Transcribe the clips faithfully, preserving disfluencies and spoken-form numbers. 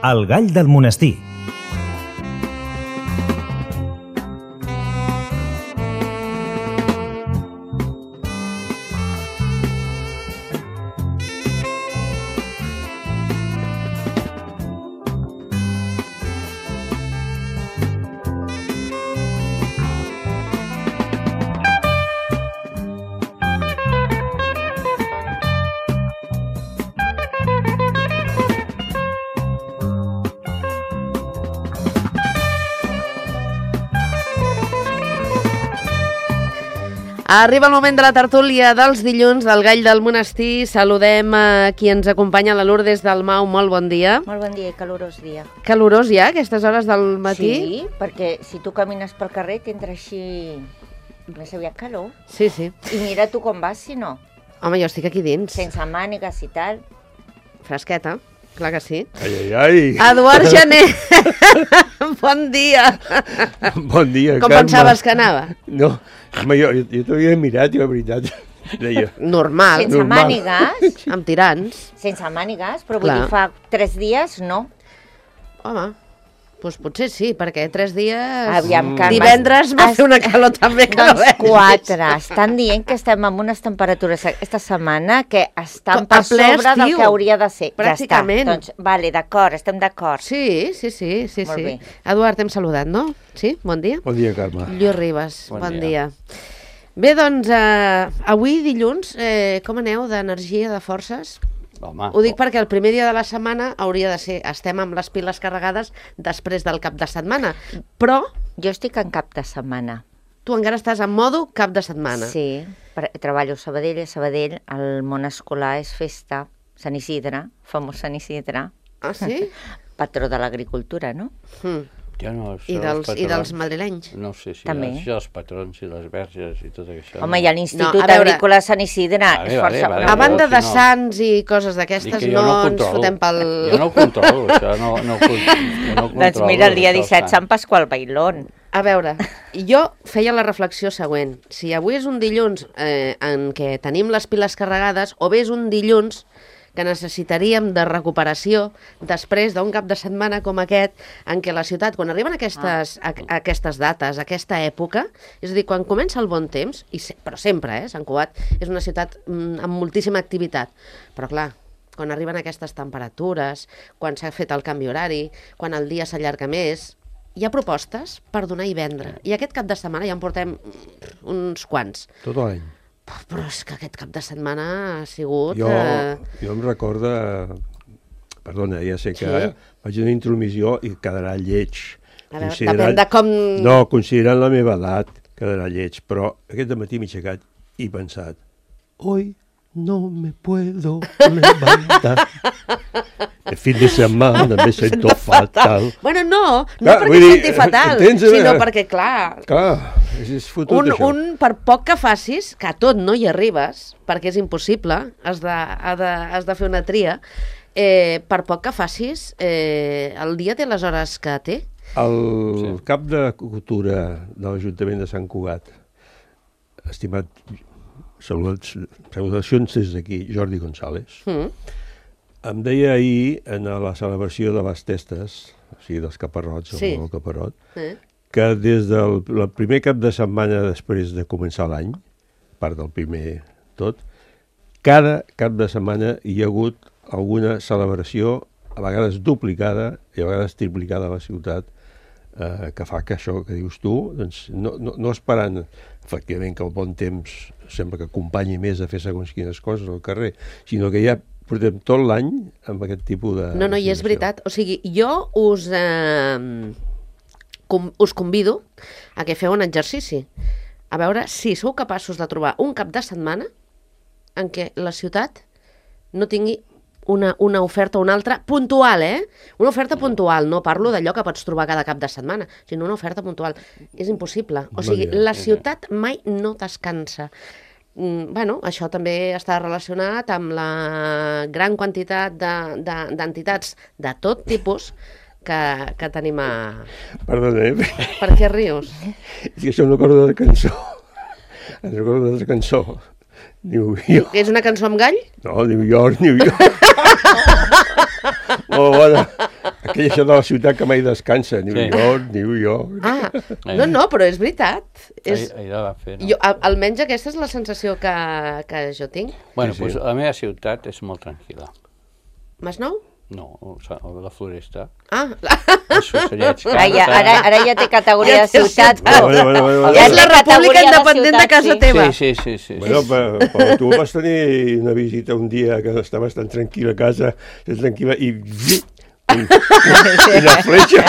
El gall del monestir. Arriba el moment de la tertúlia dels dilluns del Gall del Monestir. Saludem a qui ens acompanya, la Lourdes Dalmau. Molt bon dia. Molt bon dia i calorós dia. Calorós ja, a aquestes hores del matí? Sí, perquè si tu camines pel carrer t'entra així més aviat calor. Sí, sí. I mira tu com vas, si no. Home, jo estic aquí dins. Sense mànigues i tal. Fresqueta, clar que sí. Ai, ai, ai. Eduard Jané, bon dia. Bon dia, Com Carme. pensaves que anava? No, home, jo, jo, jo t'havia mirat, i la veritat, deia... Normal. Sense normal. mànigues. Amb tirants. Sense mànigues, però vull Clar. dir, fa tres dies, no. Home, doncs potser sí, perquè tres dies... Aviam, Carme. Divendres va fer una calor també que no Doncs veig. quatre. Estan dient que estem amb unes temperatures aquesta setmana que estan A per ple sobre del estiu. que hauria de ser. Pràcticament. Ja està. Doncs, vale, d'acord, estem d'acord. Sí, sí, sí, sí, Molt sí. bé. Eduard, t'hem saludat, no? Sí? Bon dia. Bon dia, Carme. Lluís Ribas, Bon bon, dia. dia. Bé, doncs, eh, avui dilluns, eh, com aneu d'energia, de forces? Home, Ho dic perquè el primer dia de la setmana hauria de ser, estem amb les piles carregades després del cap de setmana, però Jo estic en cap de setmana. tu encara estàs en modo cap de setmana. Sí, per, treballo a Sabadell, a Sabadell el món escolar és festa, Sant Isidre, famós Sant Isidre, Ah, sí? patró de l'agricultura, no? Mm. jo no, això I, dels dels, I dels patrons, madrilenys. no sé si També. això, els patrons i les verges i tot això. Home, no. hi ha l'Institut No, a veure- Agrícola de Sant Isidre, Vale, és vale, força... vale, A banda si de no- sants i coses Dic d'aquestes, que jo no, no ens controlo. fotem pel... Jo no ho controlo, això no, no, ho con- jo no ho controlo. Doncs mira, el dia això, disset, sant. Sant Pasqual Bailón. A veure, jo feia la reflexió següent. Si avui és un dilluns eh, en què tenim les piles carregades, o bé és un dilluns que necessitaríem de recuperació després d'un cap de setmana com aquest, en què la ciutat, quan arriben aquestes, a, a aquestes dates, a aquesta època, és a dir, quan comença el bon temps, i se, però sempre, eh, Sant Cugat és una ciutat mm, amb moltíssima activitat, però clar, quan arriben aquestes temperatures, quan s'ha fet el canvi horari, quan el dia s'allarga més, hi ha propostes per donar i vendre. I aquest cap de setmana ja en portem mm, uns quants. Tot l'any. Però és que aquest cap de setmana ha sigut... Jo, Eh... jo em recorda... Perdona, ja sé que Sí. faig una intromissió i quedarà lleig. A veure, Considerant- depèn de com... No, considerant la meva edat, quedarà lleig. Però aquest matí m'he aixecat i he pensat, hoy no me puedo levantar. El fin de setmana me sento fatal. Bueno, no, no Clar, perquè vull dir, senti fatal, entens? sinó perquè, clar, Clar, és, és fotut un, això. un per poc que facis, que a tot no hi arribes, perquè és impossible, has de, has de, has de fer una tria, eh, per poc que facis, eh, el dia té les hores que té. El Sí. cap de cultura de l'Ajuntament de Sant Cugat, estimat, saludats, salutacions des d'aquí, Jordi González, Mm. em deia ahir en la celebració de les testes, o sigui, dels caparrots, Sí. o el caparrot, Eh? que des del el primer cap de setmana després de començar l'any, part del primer tot, cada cap de setmana hi ha hagut alguna celebració, a vegades duplicada i a vegades triplicada a la ciutat, eh, que fa que això que dius tu, doncs, no, no, no esperant efectivament que el bon temps sembla que acompanyi més a fer segons quines coses al carrer, sinó que ja portem tot l'any amb aquest tipus de... No, no, i és situació. veritat. O sigui, jo us, eh, com, us convido a que feu un exercici. A veure si sou capaços de trobar un cap de setmana en què la ciutat no tingui una, una oferta o una altra puntual, eh? Una oferta puntual, no parlo d'allò que pots trobar cada cap de setmana, sinó una oferta puntual. És impossible. O sigui, Molt bé. la ciutat mai no descansa. Mm, bueno, això també està relacionat amb la gran quantitat de- de- d'entitats de, de tot tipus que, que tenim a... Perdona, eh? Per què rius? És que això em recorda de cançó. Em recorda de cançó. New York. És una cançó amb gall? No, New York, New York. Molt bona. que això de la ciutat que mai descansa, New Sí. York, New York... Ah, no, no, però és veritat. És... Ahir, ahir la va fer, no? Jo, al- almenys aquesta és la sensació que, que jo tinc. Bueno, Sí, sí. doncs la meva ciutat és molt tranquil·la. Masnou? No, o sigui, la Floresta. Ah, la... Els ocellets Ara ja, canten. ara, ara ja té categoria Ja de té ciutat. ciutat. Bueno, bueno, bueno, bueno. Ja és la té república categoria de independent de ciutat, casa sí. teva. Sí, sí, sí, sí. Bueno, però, però tu vas tenir una visita un dia que estaves tan tranquil a casa, tranquil·la, i... Un, una fletxa.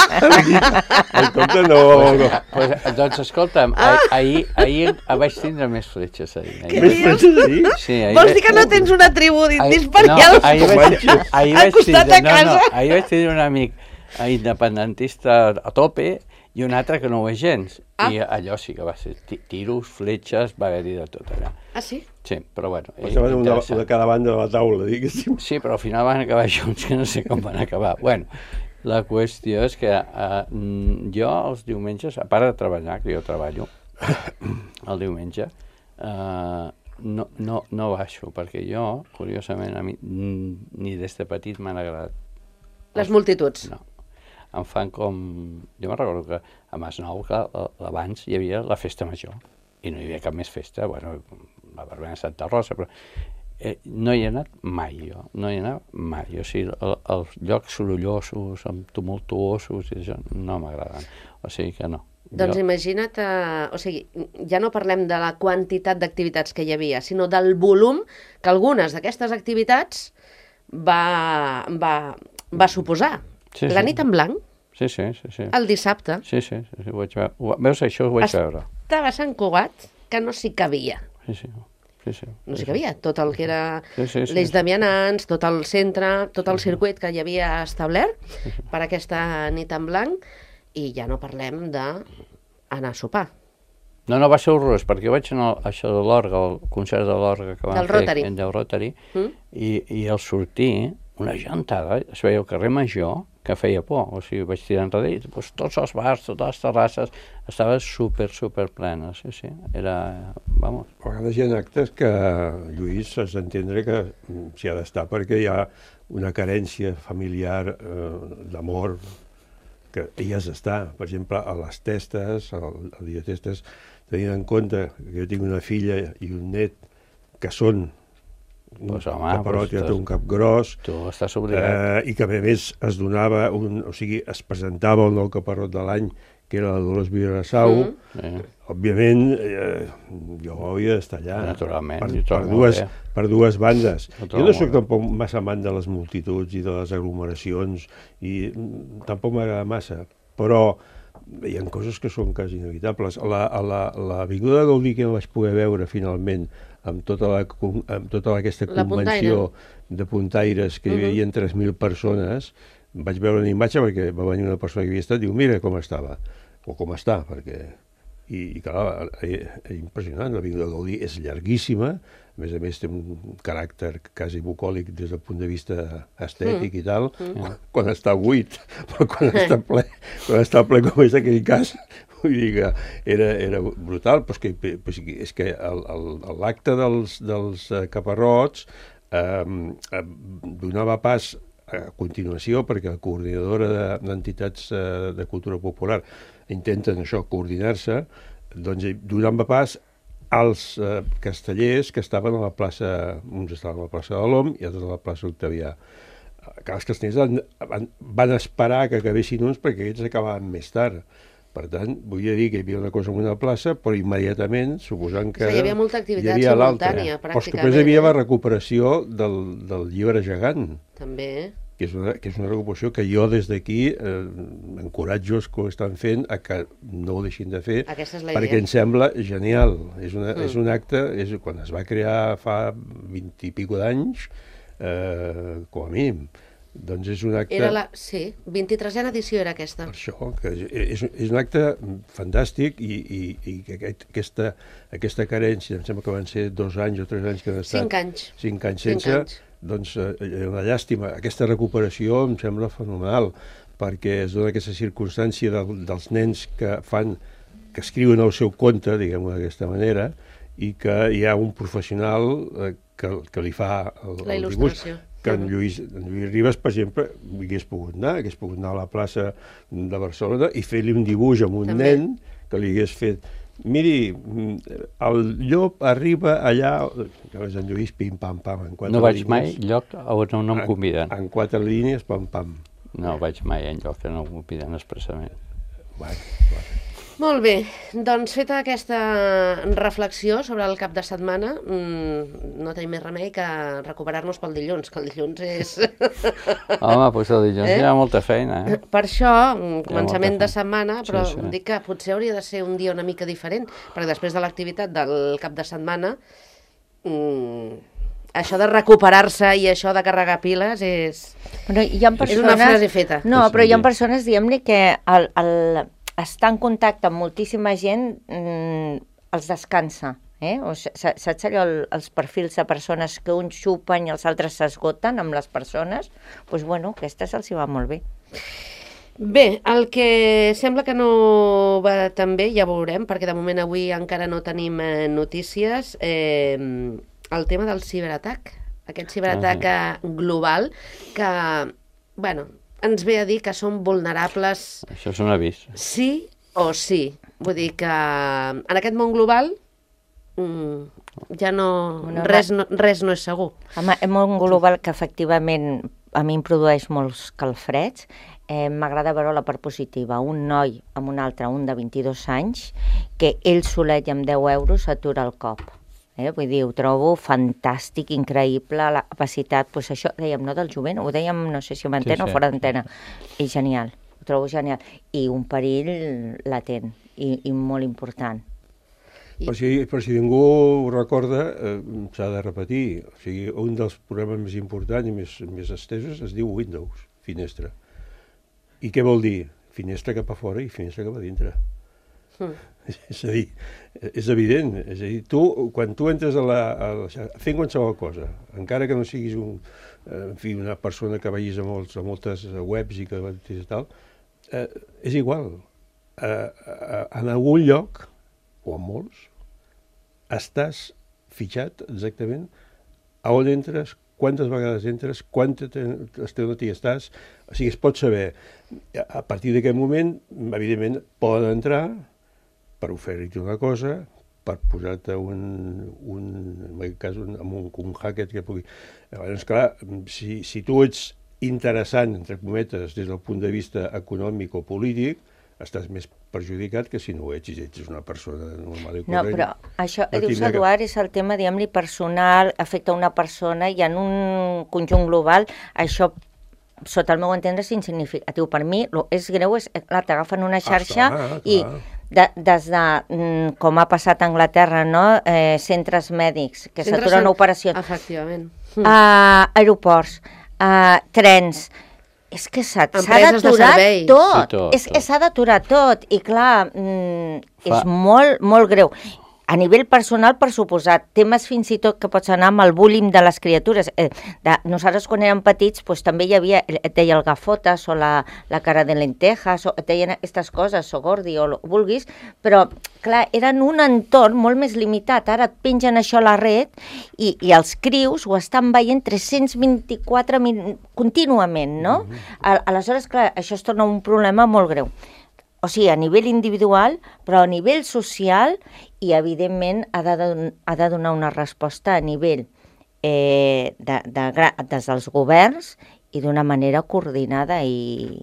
En compte, no... no. Pues, doncs escolta'm, ah. ahir, ahir vaig tindre més fletxes ahir. ahir. Més fletxes ahir? Sí, ahir Vols dir que no tens una tribu d'indis per no, allà? ahir vaig, ahir al vaig costat tindre, de no, no, casa? ahir vaig tindre un amic eh, independentista a tope i un altre que no ho és gens. Ah. I allò sí que va ser ti- tiros, fletxes, va haver-hi de tot allà. Ah, sí? Sí, però bueno, eh, Estaven una, interessant. una cada banda de la taula, diguéssim. Sí, però al final van acabar junts, que no sé com van acabar. Bueno, la qüestió és que uh, jo els diumenges, a part de treballar, que jo treballo el diumenge, uh, no, no, no baixo, perquè jo, curiosament, a mi mm, ni des de petit m'han agradat. Les multituds. No. Em fan com... Jo me'n recordo que a Masnou, clar, abans hi havia la festa major i no hi havia cap més festa, bueno, la verbena de Santa Rosa, però eh, no hi he anat mai, jo, no hi he anat mai. O sigui, el, els llocs sorollosos, amb tumultuosos, i això no m'agraden. O sigui que no. Doncs Jo- imagina't, eh, o sigui, ja no parlem de la quantitat d'activitats que hi havia, sinó del volum que algunes d'aquestes activitats va, va, va suposar. Sí, La sí. nit en blanc, Sí, sí, sí. sí. el dissabte, Sí, sí, sí, sí, ho vaig veure. Ho- Veus, això ho vaig Es- veure. estava a Sant Cugat, que no s'hi cabia. Sí, sí. Sí, sí. No s'hi cabia. Tot el que era Sí, sí, sí, l'Eix sí. de Vianants, tot el centre, tot el circuit que hi havia establert per aquesta nit en blanc, i ja no parlem d'anar a sopar. No, no, va ser horrorós, perquè jo vaig anar a això de l'orga, el concert de l'orga que van Del fer Rotary. en del Rotary, Mm? i, i al sortir, una gentada, es veia el carrer Major, que feia por, o sigui, vaig tirar enrere i doncs, tots els bars, totes les terrasses, estaven super, super plenes, sí, sí, era, vamos. A vegades hi ha actes que, Lluís, has d'entendre que mm, s'hi ha d'estar perquè hi ha una carència familiar eh, d'amor que hi has d'estar. Per exemple, a les testes, al, al dia de testes, tenint en compte que jo tinc una filla i un net que són un Pues, home, caparot pues, i estàs- un cap gros, Tu estàs obligat. eh, i que a més es donava, un, o sigui, es presentava el nou caparot de l'any, que era la Dolors Vidrassau. Mm. Sí. Òbviament, eh, jo hauria d'estar allà. Naturalment, per, jo per, trobo molt dues, bé. per dues bandes. Ho trobo Jo no molt sóc bé. tampoc massa amant de les multituds i de les aglomeracions, i mm, tampoc m'agrada massa, però hi ha coses que són quasi inevitables. A la, a la, l'Avinguda de Gaudí, que no vaig poder veure finalment, amb tota, la, con- amb tota aquesta La convenció de puntaires, que hi Mhm. havia tres mil persones, vaig veure una imatge perquè va venir una persona que havia estat i diu, mira com estava, o com està, perquè... I, i clar, eh, eh, impressionant, l'Avinguda de Gaudí és llarguíssima, a més a més té un caràcter quasi bucòlic des del punt de vista estètic Mm. i tal, quan, quan està buit, però quan està ple, quan està ple com és aquell cas, vull dir que era, era brutal, però és que, però és que, és que el- el- l'acte dels, dels eh, caparrots eh, eh, donava pas a continuació, perquè la coordinadora de- d'entitats eh, de cultura popular intenten això, coordinar-se, doncs eh, donava pas als eh, castellers que estaven a la plaça, uns estaven a la plaça de l'Om i altres a la plaça Octavià. Que els castellers van, van, van esperar que acabessin uns perquè aquests acabaven més tard. Per tant, vull dir que hi havia una cosa en una plaça, però immediatament, suposant que... O sigui, hi havia molta activitat hi havia l'altra. simultània, Però és que pràcticament, després hi havia eh? la recuperació del, del llibre gegant, També. que és una, que és una recuperació que jo des d'aquí eh, encoratjo els que ho estan fent a que no ho deixin de fer, Aquesta és la perquè idea. em sembla genial. És, una, Mm. és un acte, és, quan es va crear fa vint i pico d'anys, eh, com a mínim, doncs és un acte... Era la... Sí, vint-i-tresena edició era aquesta. Per això, que és, és un acte fantàstic i, i, i que aquest, aquesta, aquesta carència, em sembla que van ser dos anys o tres anys que han estat... Cinc anys. Cinc anys Cinc sense, anys. doncs eh, és una llàstima. Aquesta recuperació em sembla fenomenal, perquè es dona aquesta circumstància del, dels nens que fan, que escriuen el seu conte, diguem-ho d'aquesta manera, i que hi ha un professional eh, que, que li fa el, La el dibuix. il·lustració. que en Lluís, en Lluís Ribas, per exemple, hagués pogut anar, hagués pogut anar a la plaça de Barcelona i fer-li un dibuix amb un També. nen que li hagués fet. Miri, el llop arriba allà, llavors en Lluís, pim-pam-pam, en quatre No vaig línies. mai lloc on no em conviden. En, en quatre línies, pam-pam. No vaig mai en lloc que no em conviden expressament. Bueno, bueno. Molt bé, doncs feta aquesta reflexió sobre el cap de setmana, mmm, no tenim més remei que recuperar-nos pel dilluns, que el dilluns és... Home, doncs el dilluns Eh? hi ha molta feina, eh? Per això, mm, començament molta de setmana, però Sí, sí. dic que potser hauria de ser un dia una mica diferent, perquè després de l'activitat del cap de setmana, mm, això de recuperar-se i això de carregar piles és... Però hi ha persones... És una frase feta. No, però hi ha Sí. persones, diguem-ne, que el, el, estar en contacte amb moltíssima gent mm, els descansa. Eh? O s- s- saps allò, el, els perfils de persones que uns xupen i els altres s'esgoten amb les persones? Doncs pues, bueno, aquesta se'ls hi va molt bé. Bé, el que sembla que no va tan bé, ja veurem, perquè de moment avui encara no tenim eh, notícies, eh, el tema del ciberatac, aquest ciberatac Ah, eh, global que, bueno, ens ve a dir que som vulnerables Això és un avís. sí o sí. Vull dir que en aquest món global mm, ja no, Una res, no, res no és segur. Home, és molt global que efectivament a mi em produeix molts calfreds. Eh, M'agrada veure la part positiva. Un noi amb un altre, un de vint-i-dos anys, que ell solet i amb deu euros s'atura el cop. Eh? Vull dir, ho trobo fantàstic, increïble, la capacitat, doncs això, dèiem, no del jovent, ho dèiem, no sé si amb antena Sí, sí, o fora sí, d'antena. I genial, ho trobo genial. I un perill latent i, i molt important. Per si, per si ningú ho recorda, eh, s'ha de repetir. O sigui, un dels programes més importants i més, més estesos es diu Windows, finestra. I què vol dir? Finestra cap a fora i finestra cap a dintre. Mm. És a dir, és evident. És a dir, tu, quan tu entres a la, a la xarxa, fent qualsevol cosa, encara que no siguis un, en fi, una persona que vagis a, molts, a moltes webs i que i tal, eh, és igual. Eh, eh, en algun lloc, o en molts, estàs fitxat exactament a on entres, quantes vegades entres, quanta estona t'hi estàs, o sigui, es pot saber. A partir d'aquest moment, evidentment, poden entrar per oferir-te una cosa, per posar-te un, un, en aquest cas, un, un, un hacker que pugui... Llavors, clar, si, si tu ets interessant, entre cometes, des del punt de vista econòmic o polític, estàs més perjudicat que si no ho ets, si ets una persona normal i No, corrent. però això, no dius, tindrà cap- Eduard, és el tema, diguem-li, personal, afecta una persona i en un conjunt global això, sota el meu entendre, és insignificatiu. Per mi, lo és greu, és, clar, t'agafen una xarxa clar, clar. i de, des de, mm, com ha passat a Anglaterra, no? eh, centres mèdics, que Centres s'aturen en- operacions, Efectivament. a aeroports, a trens. És que s'ha s'ha Empreses de d'aturar serveis. tot. Sí, tot, és, tot. s'ha d'aturar tot. I clar, mm, és Fa- molt, molt greu. A nivell personal, per suposat, temes fins i tot que pots anar amb el bullying de les criatures. Eh, de, nosaltres, quan érem petits, doncs, també hi havia, et deia el gafotes o la, la cara de lentejas, o et deien aquestes coses, o gordi, o el que vulguis, però, clar, eren un entorn molt més limitat. Ara et pengen això a la red i, i els crius ho estan veient tres-cents vint-i-quatre min contínuament, no? A, aleshores, clar, això es torna un problema molt greu. O sigui, a nivell individual, però a nivell social i, evidentment, ha de, don ha de donar una resposta a nivell eh, de, de, des dels governs i d'una manera coordinada i...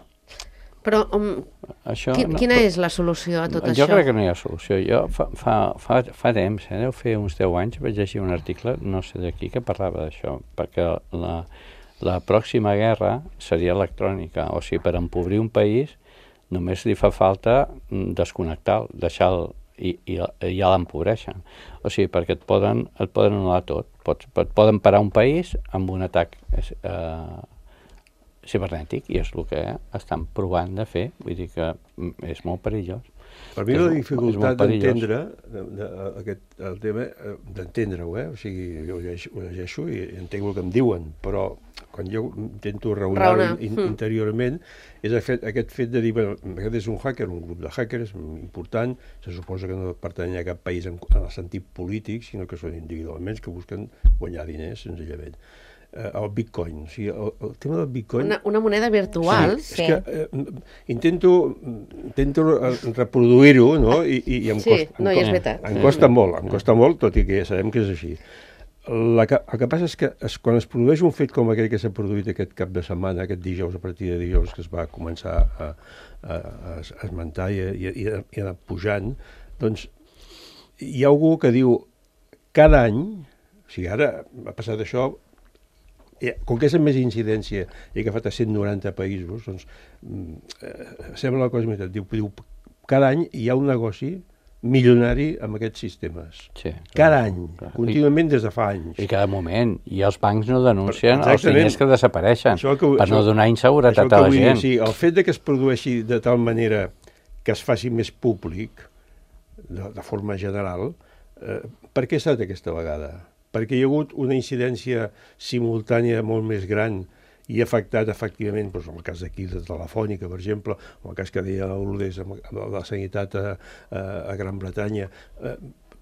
Però um, Això, qui, no, quina però- és la solució a tot jo això? crec que no hi ha solució. Jo fa, fa, fa, fa temps, eh, deu fer uns deu anys, vaig llegir un article, no sé de qui, que parlava d'això, perquè la, la pròxima guerra seria electrònica, o sigui, per empobrir un país només li fa falta desconnectar, deixar-lo i, i, i ja l'empobreixen. O sigui, perquè et poden, et poden anul·lar tot. Pots, et poden parar un país amb un atac eh, cibernètic, i és el que estan provant de fer. Vull dir que és molt perillós. Per mi És la molt- és dificultat molt perillós. d'entendre de, de, aquest, el tema, eh, d'entendre-ho, eh? O sigui, jo ho llegeixo, ho llegeixo i entenc el que em diuen, però quan jo intento raonar-ho Raonar. in, Mm. interiorment, és aquest, aquest fet de dir, bueno, aquest és un hacker, un grup de hackers important, se suposa que no pertany a cap país en, en el sentit polític, sinó que són individualment que busquen guanyar diners, senzillament. eh, el Bitcoin. O sigui, el, el tema del Bitcoin... Una, una moneda virtual. Sí, és que eh, intento, intento reproduir-ho, no? I, i, i em Sí, costa, no, em i és costa, veritat. em costa molt, em costa molt, tot i que ja sabem que és així. La que, el que passa és que es, quan es produeix un fet com aquell que s'ha produït aquest cap de setmana, aquest dijous, a partir de dijous, que es va començar a, a, a esmentar i, i, i, i anar pujant, doncs hi ha algú que diu cada any, o sigui, ara ha passat això, com que és amb més incidència i que ha fet a cent noranta països, doncs eh, sembla la cosa més... Diu, diu, cada any hi ha un negoci milionari amb aquests sistemes. Sí, cada any, clar. Contínuament des de fa anys. I cada moment. I els bancs no denuncien Exactament. els diners que desapareixen Això que, per això, no donar inseguretat a la dir, gent. Sí, el fet de que es produeixi de tal manera que es faci més públic, de, de forma general, eh, per què ha estat aquesta vegada? Perquè hi ha hagut una incidència simultània molt més gran i ha afectat, efectivament, doncs, en el cas d'aquí de Telefònica, per exemple, o el cas que deia l'Urdes amb, amb la sanitat a, a, a Gran Bretanya, eh,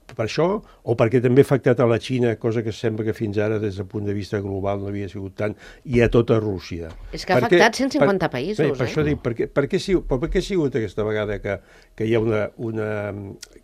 per això, o perquè també ha afectat a la Xina, cosa que sembla que fins ara, des del punt de vista global, no havia sigut tant, i a tota Rússia. És que ha perquè, afectat cent cinquanta per, països, bé, per eh? això dic, per què, per, què, per, per què ha sigut aquesta vegada que, que hi ha una, una...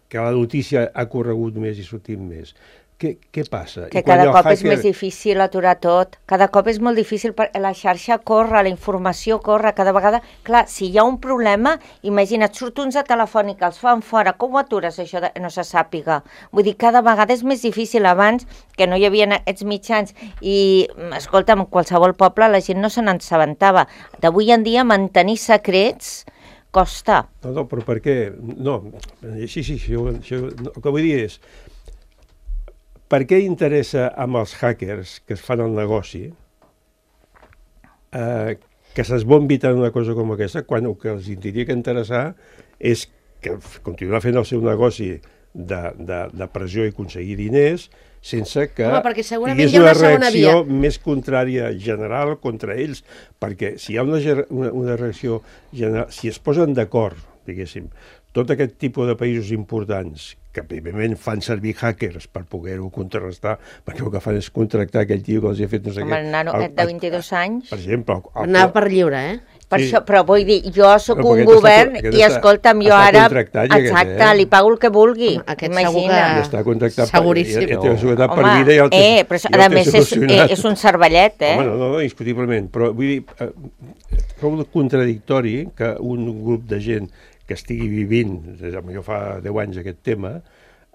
que la notícia ha corregut més i sortit més? Què, què passa? Que cada cop hacker... és més difícil aturar tot, cada cop és molt difícil, perquè la xarxa corre, la informació corre, cada vegada... Clar, si hi ha un problema, imagina't, surt uns de Telefònica, els fan fora, com ho atures això de no se sàpiga? Vull dir, cada vegada és més difícil, abans que no hi havia aquests mitjans i, escolta'm, en qualsevol poble la gent no se n'assabentava. D'avui en dia mantenir secrets costa. No, no, però per què? No, sí, sí, això, això, no, el que vull dir és... Per què interessa amb els hackers que es fan el negoci eh, que s'esbombi tant una cosa com aquesta, quan el que els hauria que interessar és que continuar fent el seu negoci de, de, de pressió i aconseguir diners sense que Home, hi hagués una, una reacció via. més contrària general contra ells, perquè si hi ha una, una, una reacció general, si es posen d'acord, diguéssim, tot aquest tipus de països importants que evidentment fan servir hackers per poder-ho contrarrestar, perquè el que fan és contractar aquell tio que els ha fet no sé Com què. el nano el, de vint-i-dos anys. Per exemple. El, el, Anava per lliure, eh? Per sí. això, però vull dir, jo sóc però un govern està, i escolta'm, jo ara... Exacte, aquest, eh? li pago el que vulgui. Home, aquest imagina. segur que... I està contractat Seguríssim. per, i, i té seguretat per Home, vida i el té, eh, però a més és, eh, és un cervellet, eh? Home, no, no, indiscutiblement, però vull dir, eh, trobo contradictori que un grup de gent que estigui vivint, jo fa deu anys aquest tema,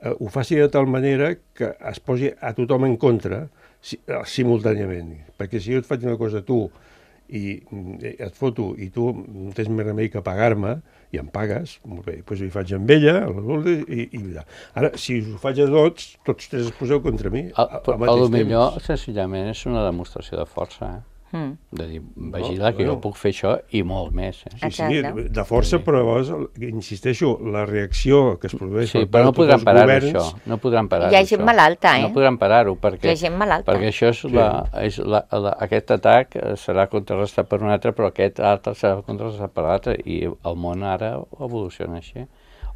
eh, ho faci de tal manera que es posi a tothom en contra si, eh, simultàniament. Perquè si jo et faig una cosa a tu i eh, et foto i tu no tens més remei que pagar-me i em pagues, molt bé, doncs hi faig amb ella, i, i ara, si us ho faig a tots, tots tres es poseu contra mi a, al a, mateix a temps. millor, senzillament, és una demostració de força, eh? Mm. De dir, vigila, no, que bueno. jo puc fer això i molt més. Eh? Sí, sí, de força, sí. Però llavors, insisteixo, la reacció que es produeix... Sí, però no podran parar-ho, governs... això. No podran parar-ho, Hi ha gent això. malalta, eh? No podran parar-ho, perquè, Hi ha gent malalta. perquè això és, sí. la, és la, la, aquest atac serà contrarrestat per un altre, però aquest altre serà contrarrestat per l'altre, i el món ara evoluciona així.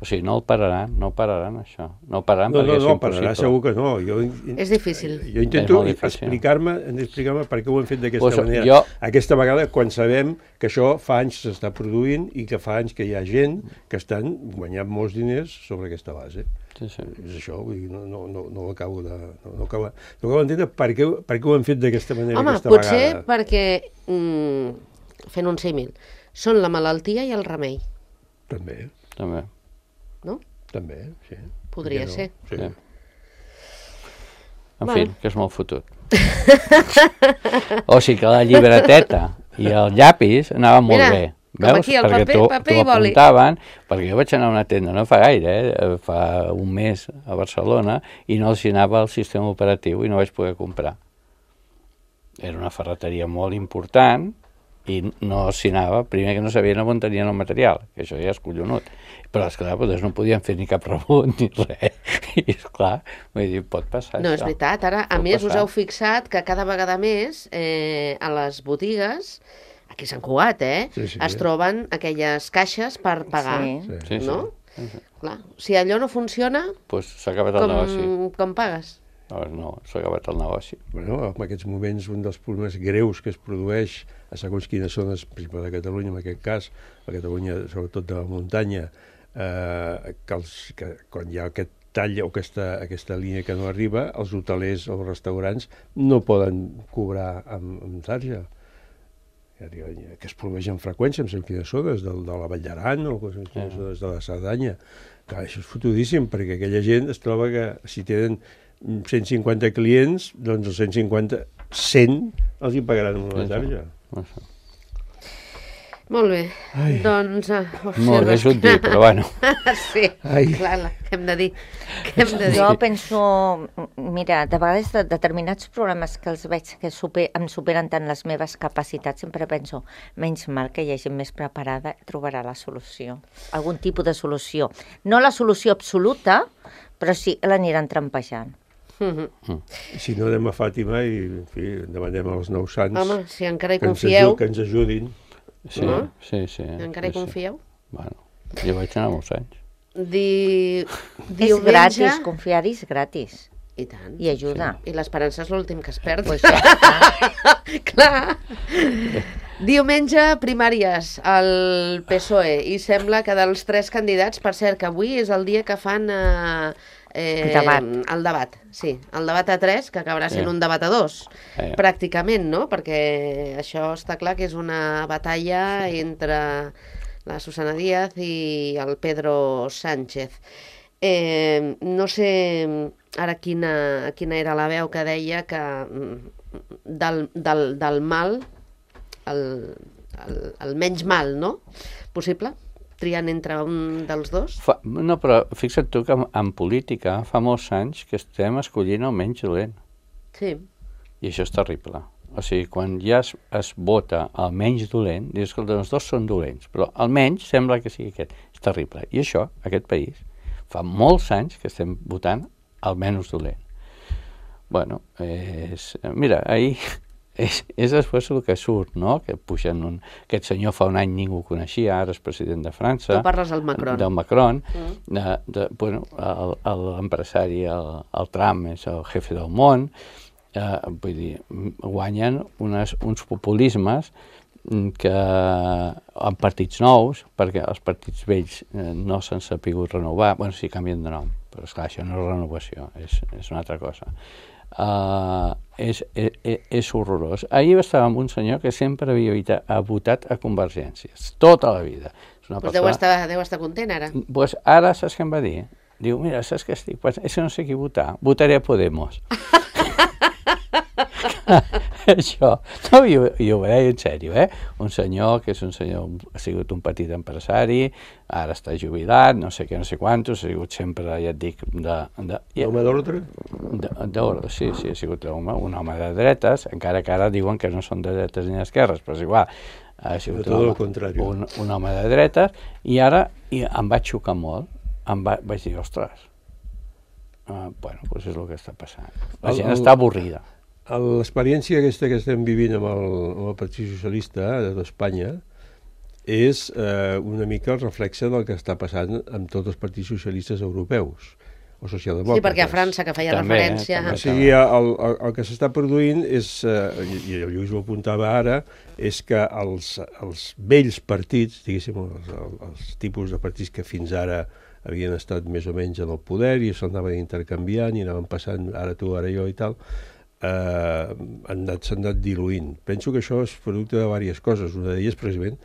O sigui, no el pararan, no pararan això. No pararan no, perquè no, és no, impossible. pararà segur que no. Jo, és difícil. Jo intento explicar-me explicar per què ho hem fet d'aquesta pues, manera. Jo... Aquesta vegada, quan sabem que això fa anys s'està produint i que fa anys que hi ha gent que estan guanyant molts diners sobre aquesta base. Sí, sí. És això, vull dir, no, no, no, no ho acabo de... No, no acabo, no acabo d'entendre per què, per què ho hem fet d'aquesta manera. Home, aquesta potser vegada. perquè, mm, fent un símil, són la malaltia i el remei. També. També. No? També, sí. Podria no? ser. Sí. Sí. En bueno. fi, que és molt fotut. O sigui que la llibreteta i el llapis anaven molt Mira, bé. Veus? Aquí, el perquè paper, paper i boli. apuntaven, perquè jo vaig anar a una tenda no fa gaire, eh, fa un mes a Barcelona, i no els anava el sistema operatiu i no vaig poder comprar. Era una ferreteria molt important i no s'hi anava, primer que no sabien on tenien el material, que això ja és collonut. Però, esclar, doncs no podien fer ni cap rebut ni res. I, esclar, vull dir, pot passar no, això. és veritat. Ara, a pot més, passar. us heu fixat que cada vegada més eh, a les botigues, aquí a Sant Cugat, eh, sí, sí, es troben aquelles caixes per pagar. Sí. Sí, no? sí. Sí, sí. Clar, si allò no funciona, Pues s'ha acabat el com, negoci. com pagues? Llavors no, s'ha acabat el negoci. Bueno, en aquests moments un dels problemes greus que es produeix a segons quines zones, per exemple de Catalunya, en aquest cas, a Catalunya sobretot de la muntanya, eh, que, els, que quan hi ha aquest tall o aquesta, aquesta línia que no arriba, els hotelers o els restaurants no poden cobrar amb, amb tarja. Que es produeix amb freqüència, amb quines zones, de, de la Vall d'Aran o en quines zones de la Cerdanya. Clar, això és fotudíssim, perquè aquella gent es troba que si tenen cent cinquanta clients, doncs els cent cinquanta, cent els hi pagaran amb una tarja. Això. Molt bé, Ai. doncs... Uh, oh, Molt bé, és un dir, però bueno. sí, Ai. clar, la, què hem de dir? Què hem de dir? Jo penso, mira, de vegades de determinats problemes que els veig que super, em superen tant les meves capacitats, sempre penso, menys mal que hi ha gent més preparada, trobarà la solució, algun tipus de solució. No la solució absoluta, però sí l'aniran trampejant. Mm-hmm. Si no anem a Fàtima i, en fi, demanem als nous sants Home, si encara hi que, ens confieu, aju- que ens ajudin. Sí, No? sí, sí. encara hi sí, sí. confieu, Bueno, jo vaig anar molts anys. Di... És diumenge... gratis, confiar-hi és gratis. I tant. I ajuda. I l'esperança és l'últim que es perd. Pues ja està. Clar. Diumenge, primàries al P S O E, i sembla que dels tres candidats, per cert, que avui és el dia que fan eh, eh, Debat. el debat, sí, el debat a tres, que acabarà sent Sí. un debat a dos, Eh. pràcticament, no? Perquè això està clar que és una batalla entre la Susana Díaz i el Pedro Sánchez. Eh, no sé ara quina, quina era la veu que deia que mm, del, del, del mal, el, el, el menys mal, no? Possible? Triant entre un dels dos? Fa, no, però fixa't tu que en, en política fa molts anys que estem escollint el menys dolent. Sí. I això és terrible. O sigui, quan ja es, es vota el menys dolent, dius que els dos són dolents, però el menys sembla que sigui aquest. És terrible. I això, aquest país, fa molts anys que estem votant el menys dolent. Bueno, és, mira, ahir és, és després el que surt, no? Que pugen un... Aquest senyor fa un any ningú coneixia, ara és president de França. Tu parles del Macron. Del Macron. Mm. De, de, bueno, el- el- l'empresari, el, el Trump, és el jefe del món. Eh, vull dir, guanyen unes, uns populismes que en partits nous, perquè els partits vells eh, no s'han sapigut renovar, bueno, sí, canvien de nom, però esclar, això no és renovació, és, és una altra cosa. Uh, és, és, és horrorós. Ahir estava amb un senyor que sempre havia evita, ha votat a Convergències, tota la vida. És una Pues deu, estar, deu estar content ara. Pues ara saps què em va dir? Diu, mira, saps què estic pensant? És que no sé qui votar, votaré a Podemos. Això, no, jo, jo ho deia en sèrio, eh? Un senyor que és un senyor, ha sigut un petit empresari, ara està jubilat, no sé què, no sé quantos, ha sigut sempre, ja et dic, de... de ja, Home d'ordre? de, d'ordre, sí, sí, ha sigut un home, un home de dretes, encara que ara diuen que no són de dretes ni d'esquerres, però és igual. Ha sigut De tot un el home, contrari. un, un home de dretes, i ara i em va xocar molt, em va, vaig dir, ostres, uh, bueno, doncs és el que està passant. La El- gent el- està avorrida. L'experiència aquesta que estem vivint amb el, amb el Partit Socialista d'Espanya és eh, una mica el reflexe del que està passant amb tots els partits socialistes europeus o socialdemòcrates. Sí, perquè a França, que feia També, eh, referència... també. O sigui, el, el, el que s'està produint és, eh, i, i el Lluís ho apuntava ara, és que els, els vells partits, diguéssim, els, els tipus de partits que fins ara havien estat més o menys en el poder i s'anaven intercanviant i anaven passant ara tu, ara jo i tal, eh, han anat, s'han anat diluint. Penso que això és producte de diverses coses. Una d'elles, precisament,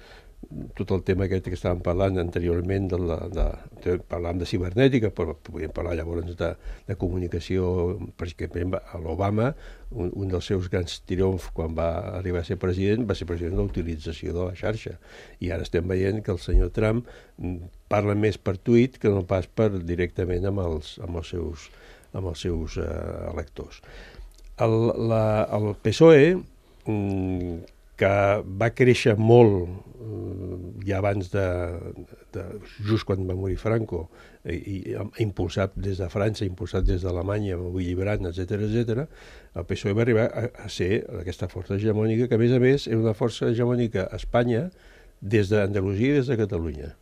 tot el tema aquest que estàvem parlant anteriorment, de la, de, de, parlàvem de cibernètica, però podíem parlar llavors de, de comunicació, perquè a l'Obama, un, un dels seus grans triomfs quan va arribar a ser president, va ser president de la utilització de la xarxa. I ara estem veient que el senyor Trump parla més per tuit que no pas per directament amb els, amb els seus, amb els seus eh, electors. El, la, el P S O E, que va créixer molt ja abans de, de just quan va morir Franco, i, i impulsat des de França, impulsat des d'Alemanya, amb Willy Brandt, etcètera, etcètera, el P S O E va arribar a, a ser aquesta força hegemònica, que a més a més era una força hegemònica a Espanya des d'Andalusia i des de Catalunya.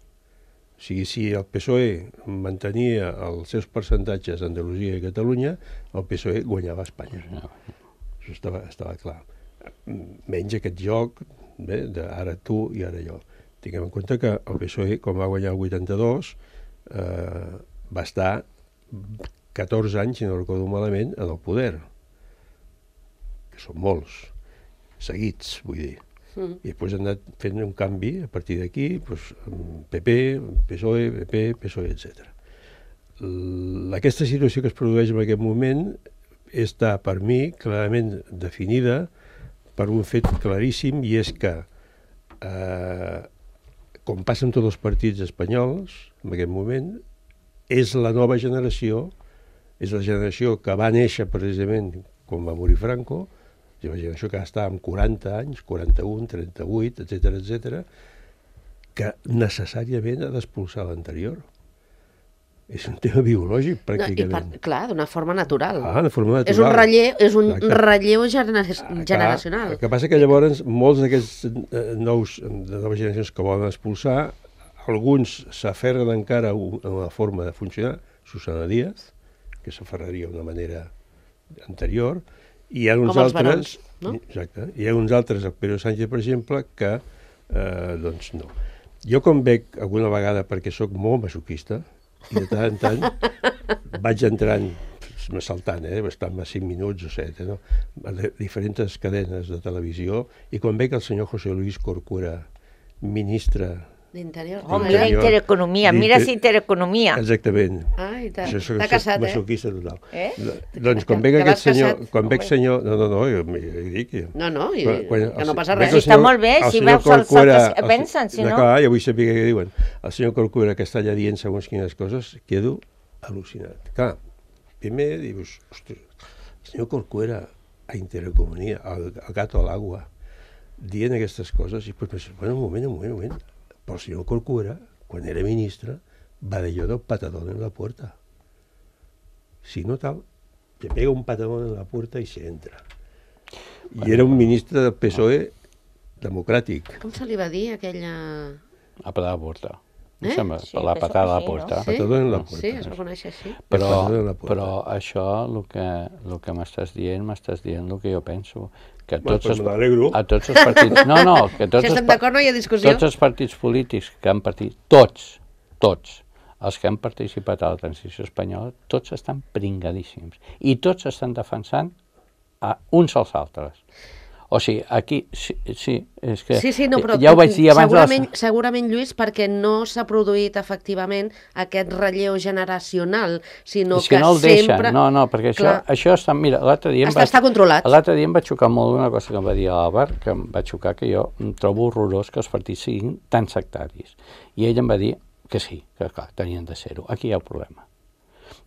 O sigui, si el P S O E mantenia els seus percentatges a Andalusia i Catalunya, el P S O E guanyava a Espanya. Això estava, estava clar. Menys aquest joc, bé, d'ara tu i ara jo. Tinguem en compte que el P S O E, quan va guanyar el vuitanta-dos, eh, va estar catorze anys, si no recordo malament, en el poder. Que són molts, seguits, vull dir. Mm. I després han anat fent un canvi a partir d'aquí, doncs, P P, P S O E, P P, P S O E, etcètera. Aquesta situació que es produeix en aquest moment està, per mi, clarament definida per un fet claríssim, i és que, eh, com passa amb tots els partits espanyols, en aquest moment, és la nova generació, és la generació que va néixer precisament quan va morir Franco, és la generació que està amb quaranta anys, quaranta-un, trenta-vuit, etcètera, etcètera, que necessàriament ha d'expulsar l'anterior. És un tema biològic, pràcticament. No, i per, clar, d'una forma natural. Ah, de forma natural. És un relleu, és un relleu gener generacional. El que passa que llavors molts d'aquests nous, de noves generacions que volen expulsar, alguns s'aferren encara a una forma de funcionar, Susana Díaz, que s'aferraria d'una manera anterior, i hi ha uns com els altres, barons, no? Exacte, hi ha uns altres, el Pedro Sánchez, per exemple, que, eh, doncs, no. Jo com veig alguna vegada, perquè sóc molt masoquista, i de tant en tant vaig entrant, saltant, eh, bastant cinc minuts o set, no? A diferents cadenes de televisió, i quan veig el senyor José Luis Corcuera, ministre d'interior. Oh, mira Intereconomia, mira si Intereconomia. Exactament. Ai, t'ha casat, eh? Masoquista total. Eh? Doncs quan veig aquest senyor, quan veig senyor, no, no, no, jo dic... No, no, que no passa res. Si està molt bé, si veus el que pensen, si no... Clar, ja vull saber què diuen. El senyor Corcuera, que està allà dient segons quines coses, quedo al·lucinat. Clar, primer dius, ostres, el senyor Corcuera a Intereconomia, al gato a l'agua, dient aquestes coses, i després penses, bueno, un moment, un moment, un moment, però el senyor Corcuera, quan era ministre, va dir allò del patadón en la puerta. Si no tal, te pega un patadón en la puerta i se entra. I era un ministre del P S O E democràtic. Com se li va dir aquella... A patada a la puerta. Eh? Sí, la patada a la puerta. Sí? Patadón en la puerta. Sí, es reconeix així. Però, però això, el que, el que m'estàs dient, m'estàs dient el que jo penso. Que tots els, a tots els partits... No, no, que tots, si estem d'acord no hi ha discussió. Tots els partits polítics que han partit, tots, tots, els que han participat a la transició espanyola, tots estan pringadíssims. I tots estan defensant a uns als altres. O sigui, aquí, sí, sí, és que... Sí, sí, no, però ja ho vaig dir abans... Segurament, les... segurament, Lluís, perquè no s'ha produït efectivament aquest relleu generacional, sinó és que, que no el sempre... deixen, no, no, perquè això, això està... Mira, l'altre dia... Està, va, està controlat. L'altre dia em va xocar molt una cosa que em va dir l'Àlvar, que em va xocar, que jo em trobo horrorós que els partits siguin tan sectaris. I ell em va dir que sí, que clar, tenien de ser-ho. Aquí hi ha el problema.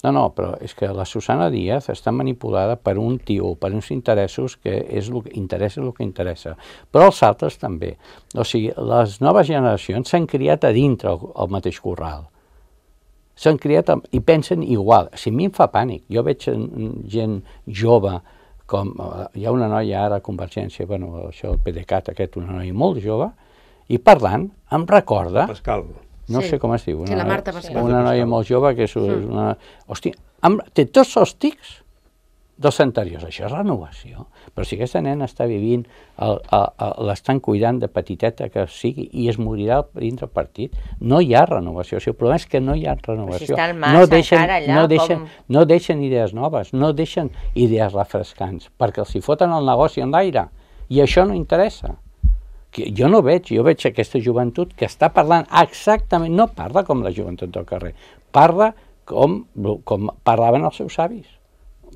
No, no, però és que la Susana Díaz està manipulada per un tio, per uns interessos que és el que interessa el que interessa. Però els altres també. O sigui, les noves generacions s'han criat a dintre el, el mateix corral. S'han criat a, i pensen igual. O sigui, a mi em fa pànic. Jo veig gent jove, com hi ha una noia ara a Convergència, bueno, això el PDeCAT aquest, una noia molt jove, i parlant em recorda... Pascal. No sí. sé com es diu. Una, sí, la Marta Pascal. Una noia molt jove que és una... Hòstia, amb, té tots els tics dels anteriors. Això és renovació. Però si aquesta nena està vivint, l'estan cuidant de petiteta que sigui i es morirà dintre el partit, no hi ha renovació. O sigui, el problema és que no hi ha renovació. Si mar, no, deixen, allà, no, deixen, com... no deixen idees noves, no deixen idees refrescants, perquè els hi foten el negoci en l'aire. I això no interessa. Jo no veig, jo veig aquesta joventut que està parlant exactament, no parla com la joventut del carrer, parla com, com parlaven els seus avis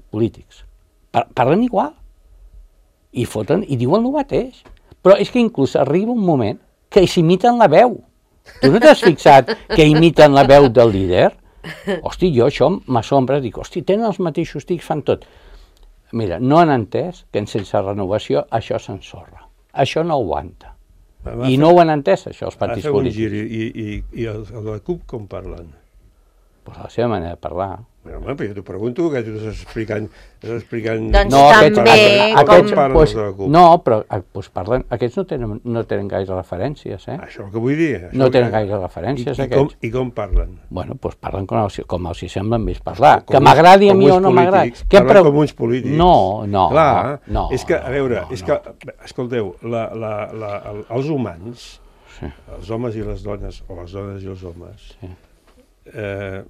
polítics. Par parlen igual. I foten, i diuen el mateix. Però és que inclús arriba un moment que s'imiten la veu. Tu no t'has fixat que imiten la veu del líder? Hosti, jo això m'assombra, dic, hosti, tenen els mateixos tics, fan tot. Mira, no han entès que sense renovació això s'ensorra. Això no aguanta. I no ho han entès, això, els partits polítics. I, i, i el, el de la CUP com parlen? Pues la seva manera de parlar. Bueno, home, però jo t'ho pregunto, que tu estàs explicant... Estàs explicant... Doncs No, aquests- també, aquests- com- aquests, parlen pues, de la CUP. no, però eh, pues parlen, aquests no tenen, no tenen gaire referències, eh? Això és el que vull dir. això No que- tenen gaire referències, I, i, com, aquests. I com parlen? Bueno, doncs parlen com els, com els hi semblen més parlar. Com que uns- m'agradi a com mi uns o no m'agradi. polítics, Què em parlen preu- com uns polítics. No, no, Clar, no. és que, a veure, no, és no. que, escolteu, la, la, la, el- els humans, Sí. els homes i les dones, o les dones i els homes, Sí. eh,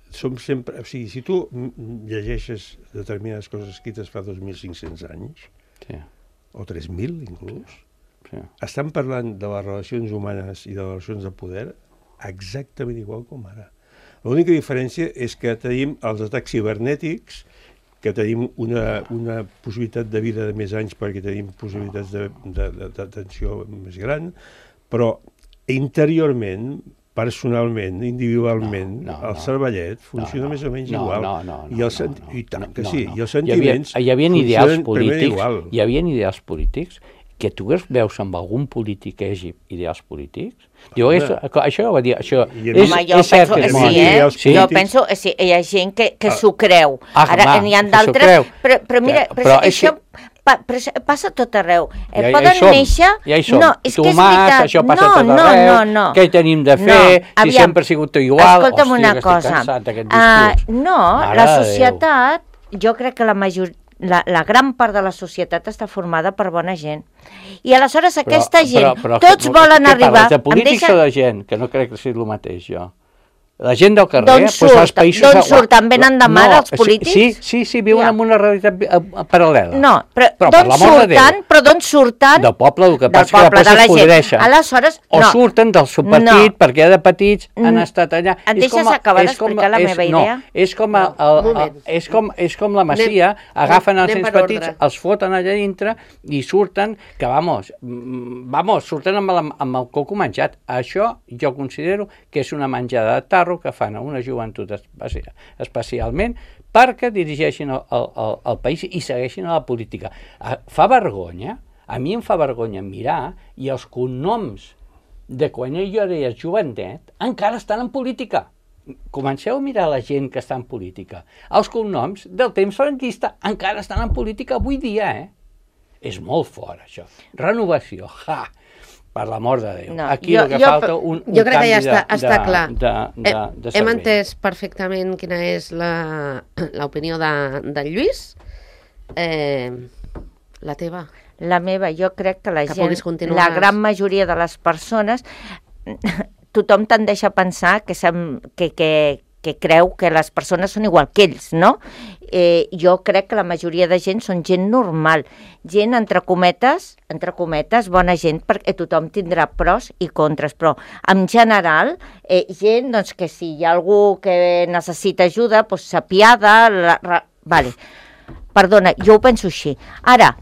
som sempre... O sigui, si tu m- llegeixes determinades coses escrites fa dos mil cinc-cents anys, Sí, o tres mil inclús, sí. estan parlant de les relacions humanes i de les relacions de poder exactament igual com ara. L'única diferència és que tenim els atacs cibernètics, que tenim una, una possibilitat de vida de més anys perquè tenim possibilitats de, de, de, d'atenció més gran, però interiorment, personalment, individualment, No, no, el no. cervellet funciona No, no. més o menys No, igual. no, no, no, I, el no, senti- no, I tant no, que no, sí, no. i els sentiments Hi havia, hi havia ideals funcionen primer polítics, igual. hi havia ideals polítics que tu veus amb algun polític que hi hagi ideals polítics. Diu, és, això ja ho va dir, això I a és, mi- Home, jo és cert penso, que és sí, molt. eh? ideals Jo polítics. penso, sí, hi ha gent que, que Ah. s'ho creu. Ah, Ara, va, n'hi ha que s'ho d'altres... creu. Però, però mira, Que- però, però és això, pa, però això passa a tot arreu. Eh, Ja- ja hi poden som, néixer... ja hi som. No, és que és Tomàs, veritat. això passa no, a tot no, arreu, no, no. què hi tenim de fer, No, si aviam, sempre ha sigut igual. Escolta'm Hòstia, una que estic cosa. cansat d'aquest Ah, discurs. no, Mare la de Déu. societat, jo crec que la majoria... La, la gran part de la societat està formada per bona gent. I aleshores aquesta gent, tots no, volen què arribar... parles, de em polítics deixa- o de gent? Que no crec que sigui el mateix, jo. La gent del carrer... D'on doncs surt? als països D'on de- surten? Venen de mar els sí, polítics? Sí, sí, sí, viuen Ja. en una realitat eh, eh, paral·lela. No, però, Però, per d'on l'amor de Déu. surten? Però d'on surten? Del poble, el que Del passa és que poble, després de la es gent. podreixen. Aleshores, O no. surten del seu partit No. perquè de petits han Mm. estat allà. Em És deixes com a- acabar és com a- d'explicar la és- meva idea? No, és com, a, No, el, un moment. el, és com, és com la Masia, Anem- agafen els anem nens per petits, ordre. els foten allà dintre i surten, que vamos, mm, vamos, surten amb el, amb el coco menjat. Això jo considero que és una menjada de tarro que fan a una joventut especi especialment perquè dirigeixin el, el, el, el país i segueixin a la política. Ah, Fa vergonya, a mi em fa vergonya mirar i els cognoms de quan jo era jovenet encara estan en política. Comenceu a mirar la gent que està en política. Els cognoms del temps franquista encara estan en política avui dia, eh? És molt fort, això. Renovació, ja! Per l'amor de Déu. No, Aquí jo- el que jo- falta un, un jo crec que canvi ja està, de, està de, clar. de, de, Hem- de Hem cervell. entès perfectament quina és la- l'opinió de, de Lluís. Eh, la teva. La meva, jo crec que la Que gent, puguis continuar. la gran majoria de les persones, tothom tendeix a pensar que, sem- que, que, que creu que les persones són igual que ells, no? Eh, jo crec que la majoria de gent són gent normal, gent entre cometes, entre cometes, bona gent, perquè tothom tindrà pros i contres, però en general, eh, gent doncs, que si hi ha algú que necessita ajuda, doncs s'apiada, la, la, vale. Perdona, jo ho penso així. Ara,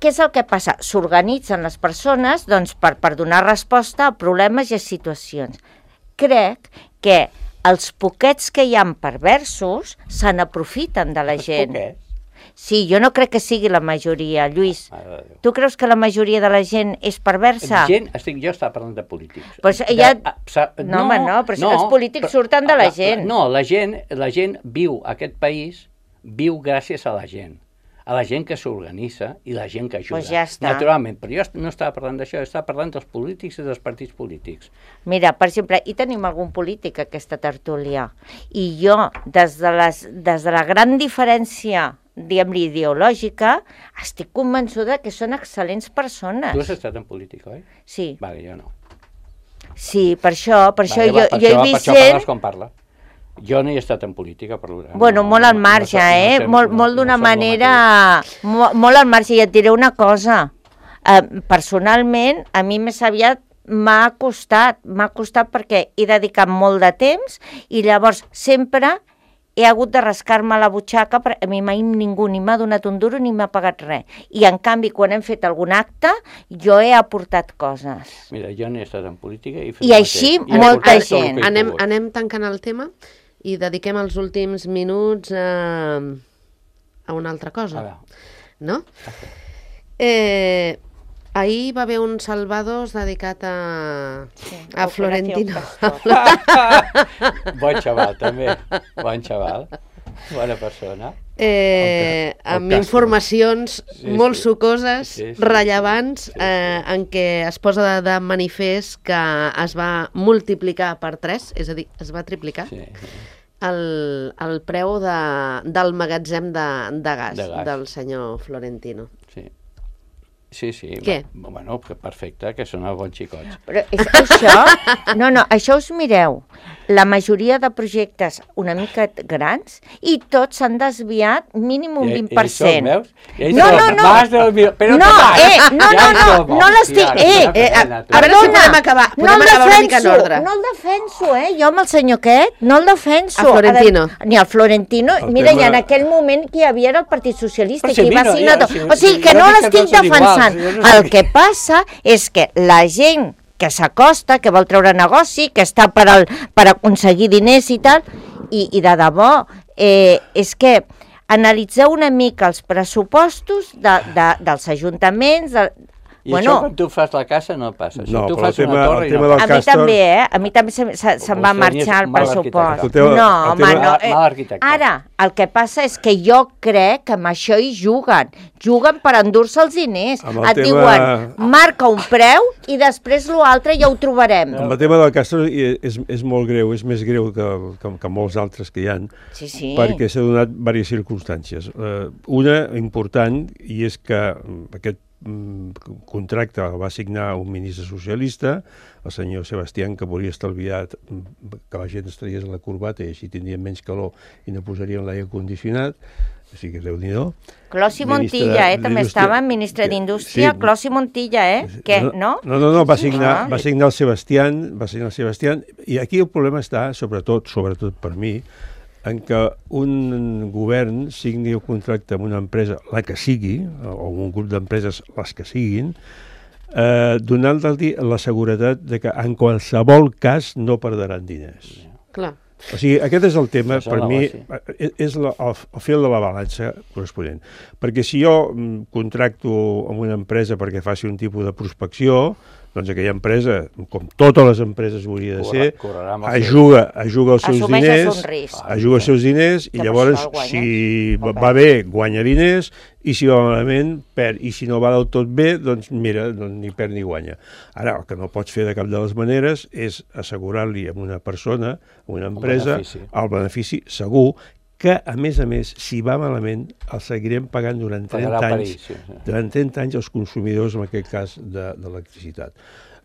què és el que passa? S'organitzen les persones doncs, per, per donar resposta a problemes i a situacions. Crec que els poquets que hi ha perversos se n'aprofiten de la Els gent. poquets. Sí, jo no crec que sigui la majoria, Lluís. Mare de Déu. Tu creus que la majoria de la gent és perversa? Gent, estic, jo estava parlant de polítics. Pues De- ja- a- sa- No, home, no, però els polítics surten de la gent. No, la gent, la gent viu, aquest país viu gràcies a la gent. A la gent que s'organitza i la gent que ajuda. Pues ja està. Naturalment, però jo no estava parlant d'això, estava parlant dels polítics i dels partits polítics. Mira, per exemple, hi tenim algun polític a aquesta tertúlia. I jo, des de, les, des de la gran diferència, diguem-li, ideològica, estic convençuda que són excel·lents persones. Tu has estat en política, oi? Sí, Vale, jo no. sí, per això, per això Vale, jo, va, per jo això, he per vist això gent... parles com parla. Jo no he estat en política, per tant. Bueno, no, molt al no- marge, no, no eh? sé- molt no- molt no d'una som el manera... mateix. Molt, molt al marge. I et diré una cosa. Eh, personalment, a mi més aviat m'ha costat. M'ha costat perquè he dedicat molt de temps i llavors sempre he hagut de rascar-me la butxaca, perquè a mi mai ningú ni m'ha donat un duro ni m'ha pagat res. I en canvi, quan hem fet algun acte, jo he aportat coses. Mira, jo no he estat en política i he fet I el així mateix. I he molta aportat tot el gent. que he Anem, pogut. anem tancant el tema i dediquem els últims minuts a, a una altra A cosa, veure, no? Eh, Ahir va haver un Salvados dedicat a, Sí, a Florentino. Bon xaval, també. Bon xaval. Bona persona. Eh, El ca- el amb Castro. informacions Sí, molt sí. sucoses, Sí, sí, rellevants, sí, sí. eh, en què es posa de, de manifest que es va multiplicar per tres, és a dir, es va triplicar, Sí. el, el preu de, del magatzem de, de, gas, De gas. del senyor Florentino. Sí. Sí, sí. Què? Va- Bueno, que perfecte, que són els bons xicots. Però és que això, no, no, això us mireu, la majoria de projectes una mica grans i tots s'han desviat mínim un I- vint i per això, cent. veus? I No, això, no, no. Más del mil... Però No, què eh, passa? no, Ja no, en no, som, no l'estic... hòstia, Eh, una eh, pena, tu. a veure si podem acabar, no podem el acabar una mica en defenso, ordre. no el defenso, eh? Jo amb el senyor aquest no el defenso. A Florentino. A- Ni al Florentino. El Mira, tema- i en aquell moment que hi havia era el Partit Socialista, Però que si hi va mira, signar ja, tot. si- O sigui, si que jo no dic que l'estic tots són iguals, defensant. jo no sé El què- que passa és que la gent que s'acosta, que vol treure negoci, que està per, al, per aconseguir diners i tal, i, i de debò, eh, és que analitzeu una mica els pressupostos de, de, dels ajuntaments, de, I bueno, això quan tu fas la casa no passa. Si No, tu però fas el tema- una torre el i tema no del a mi Castor- també, eh? A mi també se'm se, se va Vostè marxar el és mal pressupost. arquitecte. El tema- No, el home, tema- no. Mal- Eh, mal arquitecte. ara, el que passa és que jo crec que amb això hi juguen. Juguen per endur-se els diners. Amb el Et tema- diuen, marca un preu i després l'altre ja ho trobarem. Amb el tema del Castro i- és, és molt greu, és més greu que, que, que molts altres que hi ha, Sí, sí. perquè s'ha donat diverses circumstàncies. Uh, una important, i és que mm, aquest mm, contracte el va signar un ministre socialista, el senyor Sebastián, que volia estalviar mm, que la gent es tragués la corbata i així tindrien menys calor i no posarien l'aire condicionat, o sigui que Déu-n'hi-do. Clos i Ministre Montilla, eh? També d'Indústria. estava ministre Que- d'Indústria, sí. Clos i Montilla, eh? Què, no? No, no, no, va signar, Ah. va signar el Sebastián, va signar el Sebastián, i aquí el problema està, sobretot, sobretot per mi, en què un govern signi un contracte amb una empresa, la que sigui, o un grup d'empreses, les que siguin, eh, donant-li la seguretat de que en qualsevol cas no perderan diners. Clar. O sigui, aquest és el tema, És el per mi, negoci. eh, és la, el, el fil de la balança corresponent. Perquè si jo mm, contracto amb una empresa perquè faci un tipus de prospecció, doncs aquella empresa, com totes les empreses hauria de Corre- ser, correrà amb els ajuga, ajuga els seus Assumeixes diners, un risc. ajuga els seus diners, i Que per llavors, això el guanyes, si o va, perd. va bé, guanya diners, i si va malament, perd. I si no va del tot bé, doncs mira, doncs ni perd ni guanya. Ara, el que no pots fer de cap de les maneres és assegurar-li a una persona, a una empresa, benefici. el benefici segur, que, a més a més, si va malament, el seguirem pagant durant Pagarà trenta per anys, ell, sí, sí. durant trenta anys els consumidors, en aquest cas, de, d'electricitat.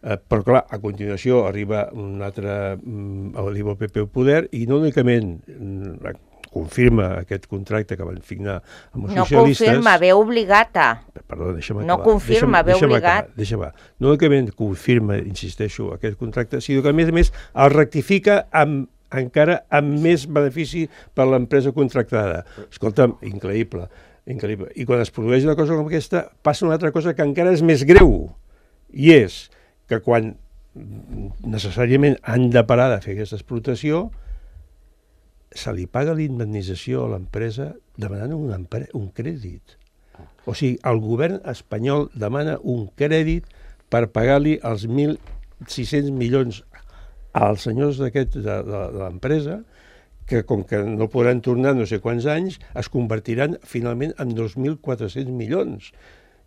Eh, però, clar, a continuació arriba un altre, mm, arriba el P P al poder, i no únicament mm, confirma aquest contracte que van signar amb els No socialistes... confirma, ve obligata. Perdó, deixa'm No acabar. confirma, deixa'm, ve deixa'm obligat. Acabar, deixa'm acabar. No únicament confirma, insisteixo, aquest contracte, sinó que, a més a més, el rectifica amb encara amb més benefici per a l'empresa contractada. Escolta'm, increïble, increïble. I quan es produeix una cosa com aquesta, passa una altra cosa que encara és més greu, i és que quan necessàriament han de parar de fer aquesta explotació, se li paga l'indemnització a l'empresa demanant un, empre- un crèdit. O sigui, el govern espanyol demana un crèdit per pagar-li els mil sis-cents milions als senyors d'aquest de, de, de l'empresa, que com que no podran tornar no sé quants anys, es convertiran finalment en dos mil quatre-cents milions.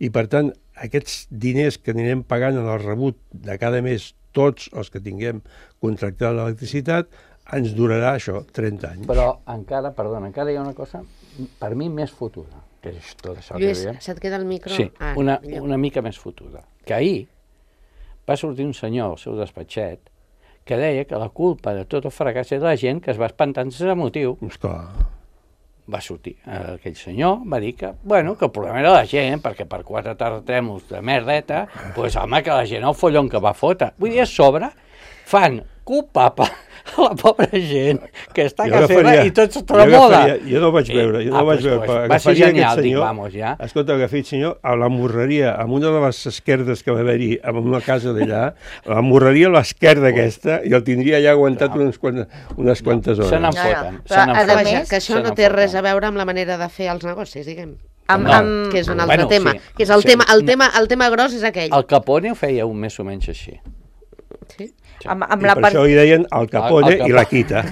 I, per tant, aquests diners que anirem pagant en el rebut de cada mes, tots els que tinguem contractada l'electricitat, ens durarà això, trenta anys. Però encara, perdona, encara hi ha una cosa, per mi, més fotuda, que és tot això Lluís, que veiem. se't queda el micro? Sí, Ah, una, millor. una mica més fotuda. Que ahir va sortir un senyor al seu despatxet que deia que la culpa de tot el fracàs era la gent que es va espantar sense motiu. Esclar. Va sortir eh, aquell senyor, va dir que, bueno, que el problema era la gent, perquè per quatre terratrèmols de merdeta, doncs, pues, home, que la gent el follon que va fotre. Vull dir, a sobre fan culpable a la pobra gent que està a Jo casa seva agafaria- i tot se jo tremola. agafaria- Jo no ho vaig veure, jo no Ah, ho vaig pues, veure. pues, però va ser agafaria aquest genial, dic, senyor- vamos, ja. Escolta, agafi el senyor a la morreria, amb una de les esquerdes que va haver-hi en una casa d'allà, la morreria a l'esquerda aquesta, i el tindria ja aguantat unes quantes, unes quantes hores. Se n'en No, no, foten, però se n'en a foten. Vaja, més- que això se no n'en té res foten. a veure amb la manera de fer els negocis, diguem. Amb, No. amb... que és un altre Bueno, tema. sí. Que és el, Sí. tema, el, No. tema, el tema gros és aquell. El Capone ho feia un més o menys així. Sí? amb, amb I la per part... això hi deien el Capone El- el i la Quita.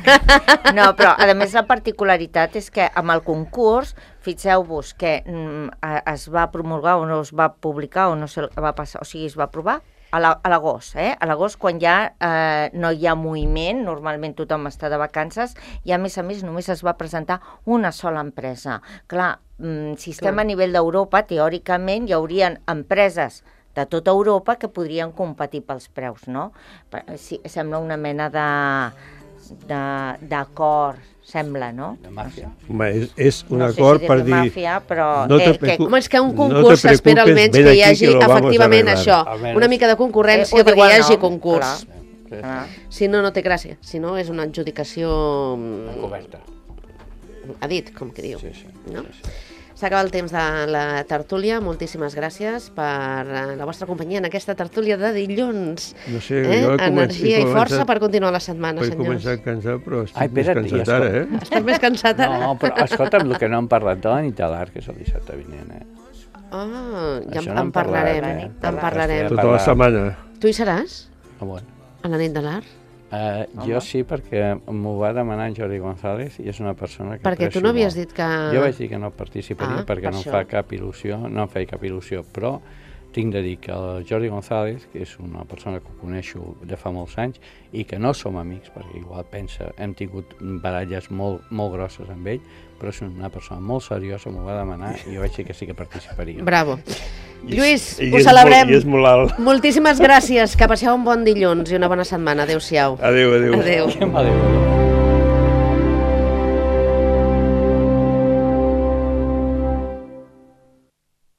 No, però a més la particularitat és que amb el concurs, fixeu-vos que mm, a- es va promulgar o no es va publicar o no se va passar, o sigui, es va aprovar a la- a l'agost, eh? A l'agost, quan ja eh, no hi ha moviment, normalment tothom està de vacances, i a més a més només es va presentar una sola empresa. Clar, mm, si estem Clar. a nivell d'Europa, teòricament hi haurien empreses de tota Europa que podrien competir pels preus, no? Per- Sí, sembla una mena de de- d'acord, sembla, no? De màfia. Home, és, és un No sé acord si per dir-ne dir... màfia, però no te eh, que, preocu- Home, és que un No te concurs s'espera preocupes, almenys ven que hi aquí hagi que lo vamos a efectivament arreglar. això, Almenys. una mica de concurrència Eh, ho perquè diu hi el hagi nom, concurs. Sí, sí. ah, Si no, no té gràcia. Si no, és una adjudicació mm, Encoberta. a dit, com que diu. Sí, sí. No? sí, sí. S'acaba el temps de la tertúlia. Moltíssimes gràcies per eh, la vostra companyia en aquesta tertúlia de dilluns. No sé, Eh? jo he començat- Energia he i força començat- per continuar la setmana, He senyors. començat cansat, però estic Ai, més espera't, cansat ja ara, escolta. eh? Estàs més cansat ara? No, però escolta'm, el que no hem parlat de la nit de l'art, que és el dissabte vinent, eh? Ah, ja Això en, no en en parlarem. parlarem, eh? En parlarem. Tot- Tota la setmana. Tu hi seràs? Ah, bueno. A la nit de l'art? Uh, jo sí, perquè m'ho va demanar en Jordi González i és una persona que Perquè tu aprecio no havies molt. dit que... Jo vaig dir que no participaria Ah, perquè per no em això. fa cap il·lusió, no em feia cap il·lusió, però tinc de dir que el Jordi González, que és una persona que coneixo de fa molts anys i que no som amics, perquè igual pensa, hem tingut baralles molt, molt grosses amb ell, però és una persona molt seriosa, m'ho va demanar i jo vaig dir que sí que participaria. Bravo. I- Lluís, i ho és celebrem. molt- I és molt alt. Moltíssimes gràcies. Que passeu un bon dilluns i una bona setmana. Adéu-siau. Adéu, adéu. Adéu. Que m'adéu.